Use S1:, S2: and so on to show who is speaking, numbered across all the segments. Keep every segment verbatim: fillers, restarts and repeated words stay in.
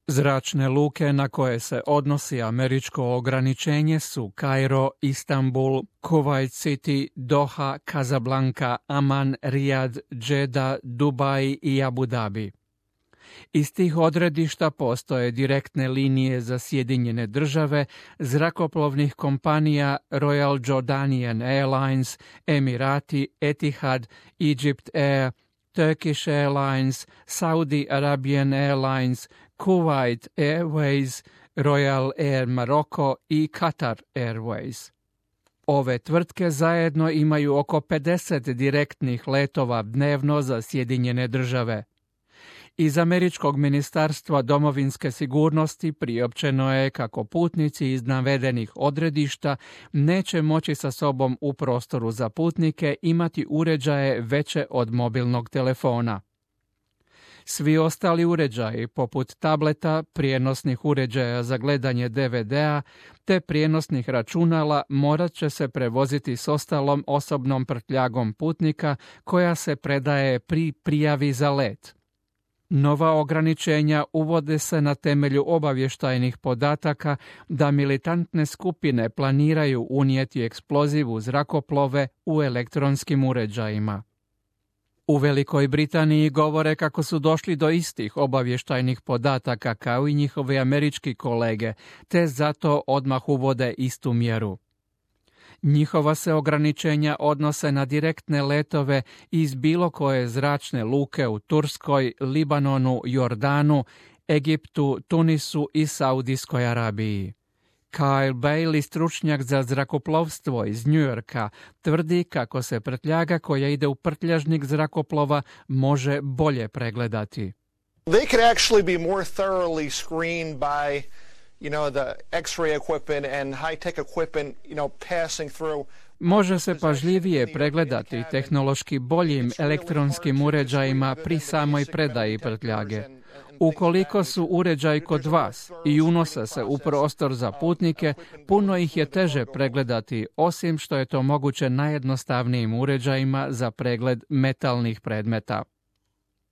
S1: Zračne luke na koje se odnosi američko ograničenje su Kairo, Istanbul, Kuwait City, Doha, Casablanca, Aman, Rijad, Džeda, Dubaj i Abu Dhabi. Iz tih odredišta postoje direktne linije za Sjedinjene države, zrakoplovnih kompanija Royal Jordanian Airlines, Emirati, Etihad, Egypt Air, Turkish Airlines, Saudi Arabian Airlines, Kuwait Airways, Royal Air Morocco i Qatar Airways. Ove tvrtke zajedno imaju oko pedeset direktnih letova dnevno za Sjedinjene države. Iz Američkog ministarstva domovinske sigurnosti priopćeno je kako putnici iz navedenih odredišta neće moći sa sobom u prostoru za putnike imati uređaje veće od mobilnog telefona. Svi ostali uređaji, poput tableta, prijenosnih uređaja za gledanje de ve de-a te prijenosnih računala, morat će se prevoziti s ostalom osobnom prtljagom putnika koja se predaje pri prijavi za let. Nova ograničenja uvode se na temelju obavještajnih podataka da militantne skupine planiraju unijeti eksploziv u zrakoplove u elektronskim uređajima. U Velikoj Britaniji govore kako su došli do istih obavještajnih podataka kao i njihovi američki kolege, te zato odmah uvode istu mjeru. Njihova se ograničenja odnose na direktne letove iz bilo koje zračne luke u Turskoj, Libanonu, Jordanu, Egiptu, Tunisu i Saudijskoj Arabiji. Kyle Bailey, stručnjak za zrakoplovstvo iz New Yorka, tvrdi kako se prtljaga koja ide u prtljažnik zrakoplova može bolje pregledati.
S2: They could actually be more thoroughly screened by you know, the X-ray equipment and high-tech equipment, you know, passing through.
S1: Može se pažljivije pregledati tehnološki boljim elektronskim uređajima pri samoj predaji prtljage. Ukoliko su uređaji kod vas i unose se u prostor za putnike, puno ih je teže pregledati, osim što je to moguće najjednostavnijim uređajima za pregled metalnih predmeta.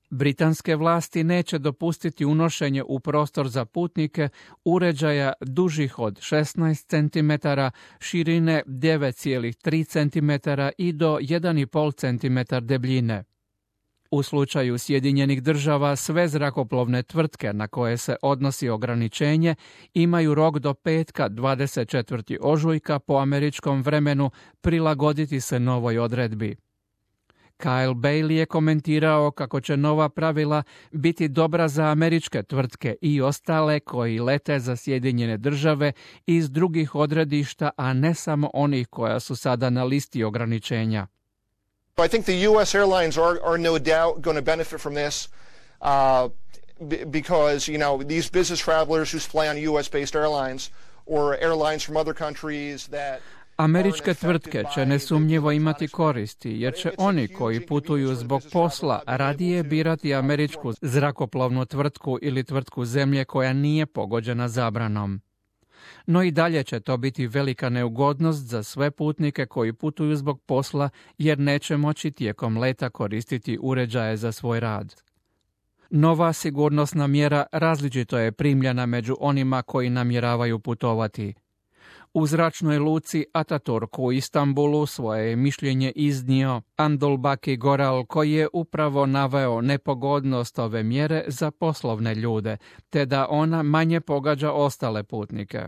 S1: Britanske vlasti neće dopustiti unošenje u prostor za putnike uređaja dužih od šesnaest centimetara, širine devet zarez tri centimetra i do jedan zarez pet centimetara debljine. U slučaju Sjedinjenih država sve zrakoplovne tvrtke na koje se odnosi ograničenje imaju rok do petka dvadeset četvrtog ožujka po američkom vremenu prilagoditi se novoj odredbi. Kyle Bailey je komentirao kako će nova pravila biti dobra za američke tvrtke i ostale koji lete za Sjedinjene države iz drugih odredišta, a ne samo onih koja su sada na listi ograničenja.
S2: I think the U S airlines are, are no doubt going to benefit from this uh, because, you know, these business travelers who fly on U S-based airlines or airlines from other countries that
S1: Američke tvrtke će nesumnjivo imati koristi, jer će oni koji putuju zbog posla radije birati američku zrakoplovnu tvrtku ili tvrtku zemlje koja nije pogođena zabranom. No i dalje će to biti velika neugodnost za sve putnike koji putuju zbog posla, jer neće moći tijekom leta koristiti uređaje za svoj rad. Nova sigurnosna mjera različito je primljena među onima koji namjeravaju putovati. U zračnoj luci Ataturk u Istanbulu svoje je mišljenje iznio Andolbaki Goral, koji je upravo naveo nepogodnost ove mjere za poslovne ljude, te da ona manje pogađa ostale putnike.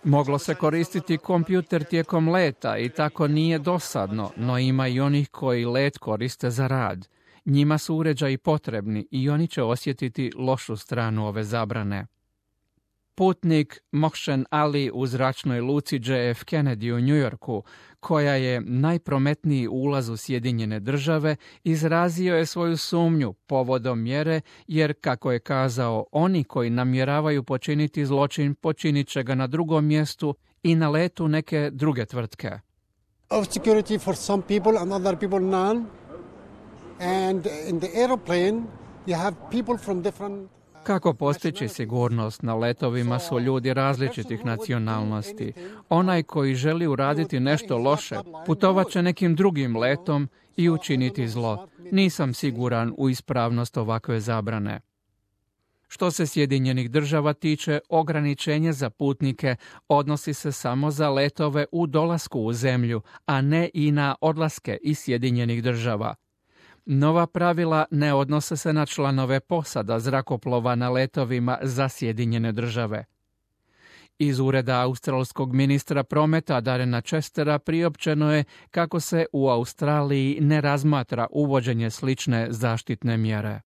S1: Moglo se koristiti kompjuter tijekom leta i tako nije dosadno, no ima i onih koji let koriste za rad. Njima su uređaji potrebni i oni će osjetiti lošu stranu ove zabrane. Putnik Mohsen Ali u zračnoj luci J F Kennedy u New Yorku, koja je najprometniji ulaz u Sjedinjene države, izrazio je svoju sumnju povodom mjere, jer, kako je kazao, oni koji namjeravaju počiniti zločin počinit će ga na drugom mjestu i na letu neke druge tvrtke.
S3: Of security for some people and other people none. And in the airplane you have people from different.
S1: Kako postići sigurnost na letovima su ljudi različitih nacionalnosti. Onaj koji želi uraditi nešto loše putovat će nekim drugim letom i učiniti zlo. Nisam siguran u ispravnost ovakve zabrane. Što se Sjedinjenih država tiče, ograničenje za putnike odnosi se samo za letove u dolasku u zemlju, a ne i na odlaske iz Sjedinjenih država. Nova pravila ne odnose se na članove posada zrakoplova na letovima za Sjedinjene države. Iz ureda australskog ministra prometa Darrena Chestera priopćeno je kako se u Australiji ne razmatra uvođenje slične zaštitne mjere.